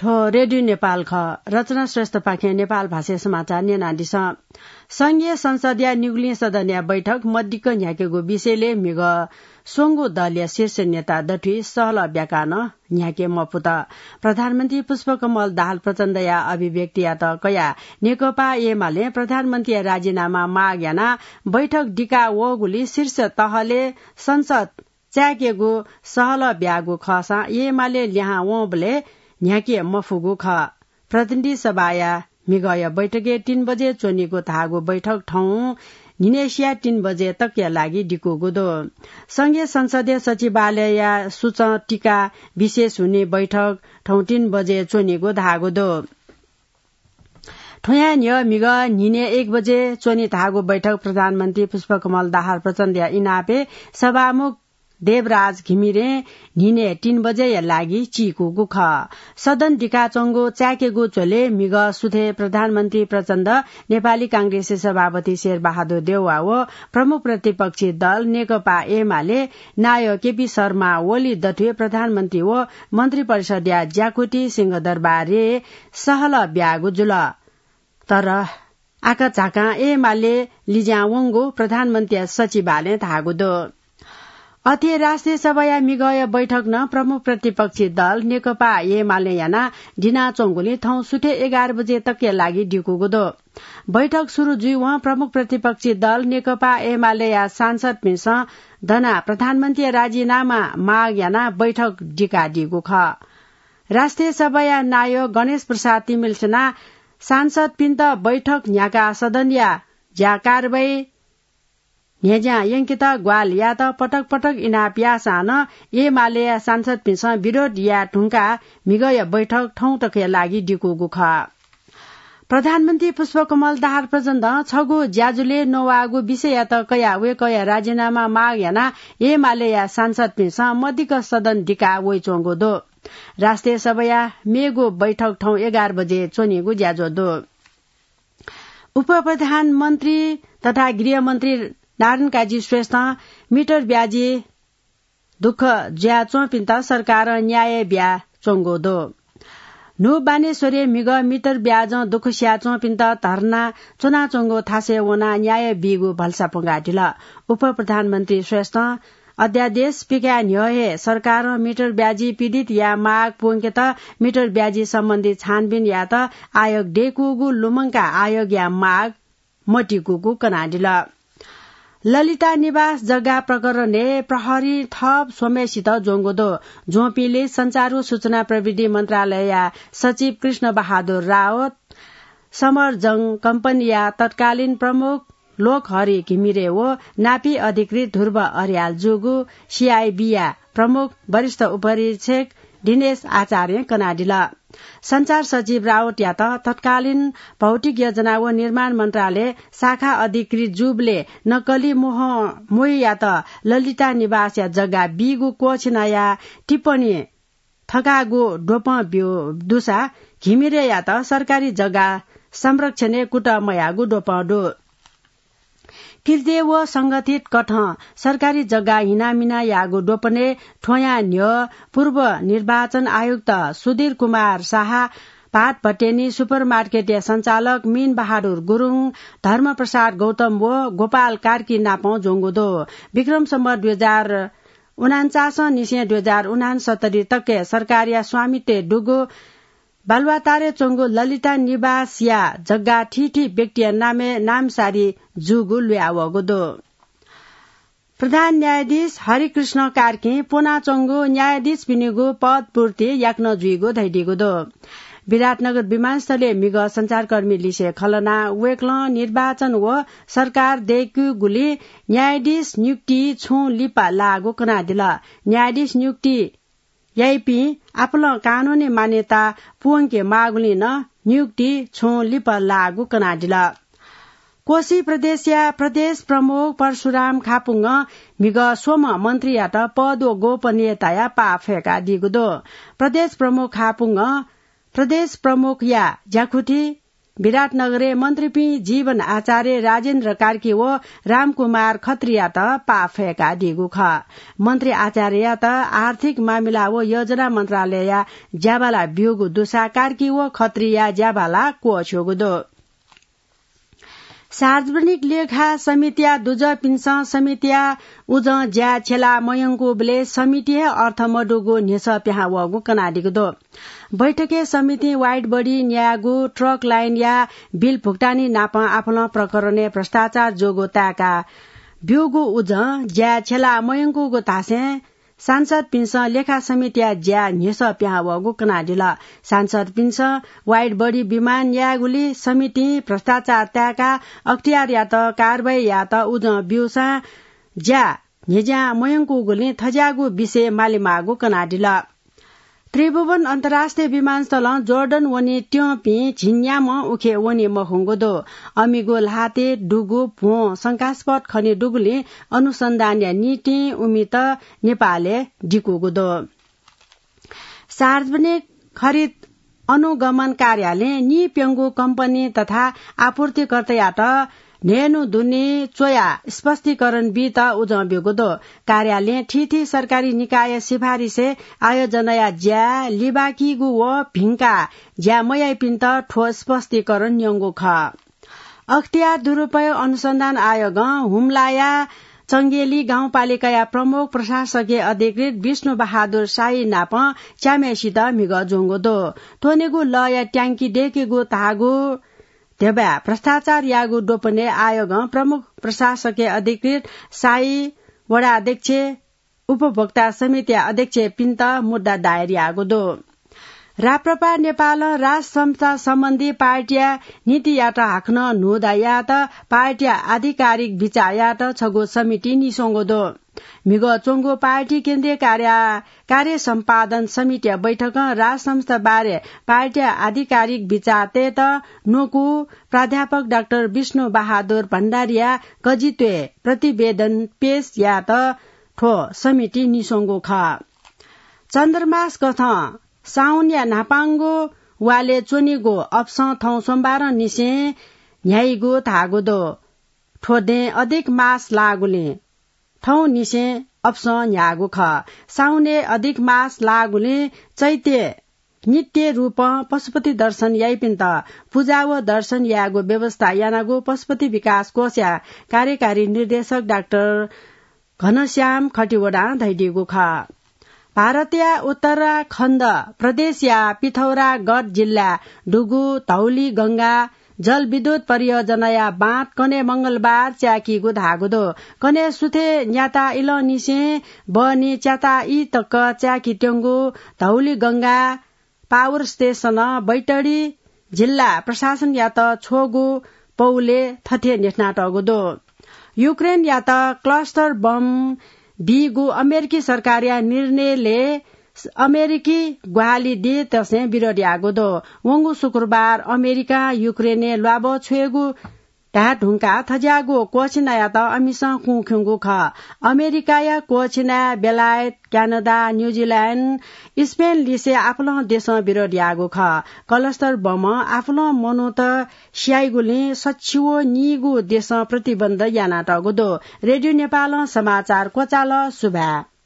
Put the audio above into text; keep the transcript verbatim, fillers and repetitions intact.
थ्व रेडियो नेपाल खः। रचना श्रेष्ठपाखें नेपाल भाषाय् समाचार न्यनादिसँ। संघीय संसदया निगुलिं सदनया बैठक मदिक्क न्ह्याकेगु विषयलय् म्हिगः स्वंगू दलया शीर्ष नेता दथुइ सहलह ब्याकाः नं न्ह्याके मफुत। प्रधानमन्त्री पुष्पकमल दाहाल प्रचण्डया अभिव्यक्तियात कयाः नेकपा एमालें प्रधानमन्त्रीया राजीनामा माग यानाः बैठक दिका वःगुलिं शीर्ष तहले संसद चाय्‌केगु सहलह ब्याःगु खःसां एमाले लिहां वंबलय् न्ह्याके मफुगु खः। प्रतिनिधि सभाया म्हिगःया बैठकय् तीन बजे च्वनीगु धाःगु बैठक थौं न्हिनय्‌सिया तीन बजे तकया लागि दिकूगु दु। संघीय संसदीय सचिवालयया सूचं टीका विशेष हुने बैठक थौं तीन बजे च्वनीगु धाःगु दु। थ्वयां न्ह्यः म्हिगः न्हिनय् एक बजे च्वनी धाःगु बैठक प्रधानमन्त्री पुष्पकमल दाहाल प्रचण्डया इनापय् सभामुख देवराज घिमिरें न्हिनय् तीन बजेया लागि चीकूगु खः। सदन दिकाच्वंगु चाय्‌केगु झ्वलय् म्हिगः सुथय् प्रधानमन्त्री प्रचण्ड, नेपाली कांग्रेसया सभापति शेरबहादुर देउवा व प्रमुख प्रतिपक्षी दल नेकपा एमाले नायः केपी शर्मा ओली दथुइ प्रधानमन्त्री व मन्त्रिपरिषदया ज्याकुथि सिंहदरबारय् सहलह ब्याःगु जुल। तर आकाझाकां एमाले लिज्यां वंगु प्रधानमन्त्रीया सचिवालयं धाःगु दु। अथे राष्ट्रिय सभाया म्हिगःया बैठक नं प्रमुख प्रतिपक्षी दल नेकपा एमालें यानाः दिनाच्वंगुलिं थौं सुथय् एघार बजे तकया लागि दिकूगु दु। बैठक सुरु जुइवं प्रमुख प्रतिपक्षी दल नेकपा एमालेया सांसदपिन्सं दनाः प्रधानमन्त्रीया राजीनामा माग यानाः बैठक दिकादीगु खः। राष्ट्रिय सभाया नायः गणेश प्रसाद तिमिल्सिनां सांसदपिन्त बैठक न्ह्याकाः सदनया ज्या कारवाही न्ह्यज्यां यंकेत ग्वाहालि यायेत पटक पटक इनाप याःसां नं एमालेया सांसदपिन्सं विरोध याये धुंकाः म्हिगःया बैठक थौं तकया लागि दिकूगु खः। प्रधानमन्त्री पुष्पकमल दाहाल प्रचण्डं छगू ज्याझ्वलय् नवाःगु विषययात कयाः वय्‌कःया राजीनामा माग यानाः एमालेया सांसदपिन्सं मदिक्क सदन दिकाः वइच्वंगु दु। राष्ट्रिय सभाया मेगु बैठक थौं एघार बजे च्वनीगु ज्याझ्वः दु। उपप्रधानमन्त्री तथा गृहमन्त्री नारायण काजी श्रेष्ठं मिटर ब्याजी दुःख जुयाच्वंपिन्त सरकारं न्याय बियाच्वंगु दु। न्हू बानेश्वरय् म्हिगः मिटर ब्याजं दुःख सियाच्वंपिन्त धर्ना च्वनाच्वंगु थासय् वनाः न्याय बीगु भलसा प्वंकादिल। उपप्रधानमन्त्री श्रेष्ठं अध्यादेश पिकाये न्ह्यः हे सरकारं मिटर ब्याजी पीडितया माग प्वंकेत मिटर ब्याजी सम्बन्धी छानबिन यायेत आयोग दय्‌कूगु लुमंकाः आयोगया माग मतिकूगु कनादिल। ललिता निवास जग्गा प्रकरणय् प्रहरीं थप स्वम्हय्‌सित ज्वंगु दु। ज्वंपिंलय् सञ्चार व सूचना प्रविधि मन्त्रालयया सचिव कृष्ण बहादुर रावत, समरजंग कम्पनीया तत्कालीन प्रमुख लोकहरि घिमिरे व नापी अधिकृत ध्रुव अर्याल जूगु सीआईबीया प्रमुख वरिष्ठ उपरीक्षक दिनेश आचार्यं कनादिल। सञ्चार सचिव रावतयात तत्कालीन भौतिक योजना व निर्माण मन्त्रालय शाखा अधिकृत जूबलय् नक्कली मोह मोहियात ललिता निवासया जग्गा बीगु क्वःछिनाया टिप्पणी थकाःगु द्वपं ब्यू दुसा घिमिरेयात सरकारी जग्गा संरक्षणय् कुतः मयाःगु द्वपं दु। किर्ते व संगठित कथं सरकारी जग्गा हिनामिना याःगु द्वपनय् थ्वयां न्ह्यः पूर्व निर्वाचन आयुक्त सुधीर कुमार शाह, भात भट्टेनी सुपरमार्केटया सञ्चालक मीन बहादुर गुरुङ, धर्मप्रसाद गौतम व गोपाल कार्की नापं ज्वंगु दु। विक्रम सम्वत दुई हजार उनान्चासं निसें दुई हजार उनासत्तरी तकय् सरकारया स्वामित्वय् दुगु बालुवाटारय् च्वंगु ललिता निवासया जग्गा थीथी व्यक्तिया नामय् नामसारी जूगु लुयावःगु दु। प्रधान न्यायाधीश हरिकृष्ण कार्कीं प्वनाच्वंगु न्यायाधीशपिनिगु पद पूर्ति याकनं जुइगु धयादीगु दु। विराटनगर विमानस्थलय् म्हिगः सञ्चारकर्मी लिसे खँ ल्हानाः वय्‌कलं निर्वाचन व सरकार दय्‌कूगुलिं न्यायाधीश नियुक्ति छुं लिपा लाःगु कनादिल। न्यायाधीश नियुक्ति याइपिं आपालं कानूनी मान्यता पूवंके माःगुलिं नं नियुक्ति छुं लिपा लाःगु कनादिल। कोशी प्रदेशया प्रदेश प्रमुख परशुराम खापुङ्गं म्हिगः स्वम्ह मन्त्रीयात पद व गोपनीयताया पाः फय्‌कादीगु दु। प्रदेश प्रमुख खापुङ्गं प्रदेश प्रमुखया ज्याकुथि विराटनगरय् मन्त्रीपिं जीवन आचार्य, राजेन्द्र कार्की व रामकुमार खत्रीयात पाफय्कादीगु खः। मन्त्री आचार्ययात आर्थिक मामिला व योजना मन्त्रालयया ज्याबाला ब्यूगु दुसा कार्की व खत्रीया ज्याबाला क्वःछ्यूगु दु। सार्वजनिक लेखा समितिया दुजःपिन्सं समितिया उजं ज्या छ्यला मयंकूबलय् समिति हे अर्थ मदुगु न्ह्यसः पिहां वःगु कनादीगु दु। बैठकय् समितिं वाइड बडी न्यायेगु, ट्रक लाइनया बिल भुक्तानी नाप आफलं प्रकरणय् भ्रष्टाचार जूगु ताय्का ब्यूगु उजं ज्या छ्यला मयंकूगु धासें सांसदपिन्सं लेखा समितिया ज्या न्ह्यसः पिहां वःगु कनादिल। सांसदपिन्सं वाइड बडी विमान यायेगुली समितिं भ्रष्टाचार ताय्का अख्तियारयात कारवाही यायेत उजं ब्यूसां ज्या न्ह्यज्यां मयंकूगुलिं थज्याःगु विषय मालेमाःगु कनादिल। त्रिभुवन अन्तर्राष्ट्रिय विमानस्थलं जोर्डन वने त्यंपिं झिंन्याम्ह उखे वने मखंगु दु। अमिगु ल्हातय् दुगु भ्वं शंकास्पद खने दुगुलिं अनुसन्धानया निंतिं उमित नेपालय् दिकूगु दु। सार्वजनिक खरिद अनुगमन कार्यालयं निप्यंगु कम्पनी तथा आपूर्तिकर्तायात न्हय्न्हु दुने च्वयाः स्पष्टीकरण बीत उजं ब्यूगु दु। कार्यालयं थीथी सरकारी निकाय सिफारिसय् आयोजनाया ज्या लिबाकीगु व भिंकाः ज्या मयाइपिन्त थ्व स्पष्टीकरण न्यंगु खः। अख्तियार दुरुपयोग अनुसन्धान आयोगं हुम्लाया चंगेली गाउँपालिकाया प्रमुख प्रशासकीय अधिकृत विष्णु बहादुर शाही नाप च्याम्हय्सित म्हिगः ज्वंगु दु। त्वनेगु लःया ट्याङ्की दय्केगु धाःगु ध्यबाय् भ्रष्टाचार याःगु द्वपनय् आयोगं प्रमुख प्रशासकीय अधिकृत, शाही, वडा अध्यक्ष, उपभोक्ता समितिया अध्यक्षपिन्त मुद्दा दायर याःगु दु। राप्रपा नेपालं राजसंस्था सम्बन्धी पार्टीया नीतियात हाकनं न्हूदँ यायेत पार्टीया आधिकारिक बिचाः यायेत छगू समिति निस्वंगु दु। म्हिगः च्वंगु पार्टी केन्द्रीय कार्या-, कार्य सम्पादन समितिया बैठकं राजसंस्था बारे पार्टीया आधिकारिक बिचाः तयेत न्वकू प्राध्यापक डाक्टर विष्णु बहादुर भण्डारीया कजित्वय् प्रतिवेदन पेश यायेत थ्व समिति निस्वंगु खः। चन्द्रमास कथं साउनया न्हापांगु वालय् च्वनीगु अपसं थौं सोमबारंनिसें न्ह्याइगु धाःगु दु। थ्व दँय् अधिक मास लाःगुलिं थौंनिसें अपसं न्ह्याःगु खः। साउनय् अधिक मास लाःगुलिं चैत्य नित्य रूपं पशुपति दर्शन याइपिन्त पुजा व दर्शन यायेगु व्यवस्था यानागु पशुपति विकास कोषया कार्यकारी निर्देशक डाक्टर घनश्याम खतिवडां धयादीगु खः। भारतया उत्तराखण्ड प्रदेशया पिथौरागढ जिल्लाय् दुगु धौली गंगा जलविद्युत परियोजनाया बाँध कन्हय् मंगलबार च्याकीगु धाःगु दु। कन्हय् सुथय् न्याता इलंनिसें बहनी च्याता ई तक च्याकीत्यंगु धौली गंगा पावर स्टेशनं बैतडी जिल्ला प्रशासनयात छ्वःगु पौलय् थथे न्ह्यथनातःगु दु। युक्रेनयात क्लस्टर बम बीगु अमेरिकी सरकारया निर्णयलय् अमेरिकी ग्वाहालि दीतसें विरोध याःगु दु। वंगु शुक्रबार अमेरिकां युक्रेनय् ल्वाभः छ्वयेगु धाये धुंकाः थज्याःगु क्वःछिनायात अमिसं कुँ खिउँगु खः। अमेरिकाया क्वःछिनाय् बेलायत, क्यानाडा, न्यूजिल्याण्ड, स्पेन लिसे आफुलं देशं विरोध याःगु खः। क्लस्टर बमं आफुलं मनूत स्याइगुलिं सच्छि व नीगू देशं प्रतिबन्ध यानातःगु दु। रेडियो नेपालं समाचार क्वचाल। सुभाय्।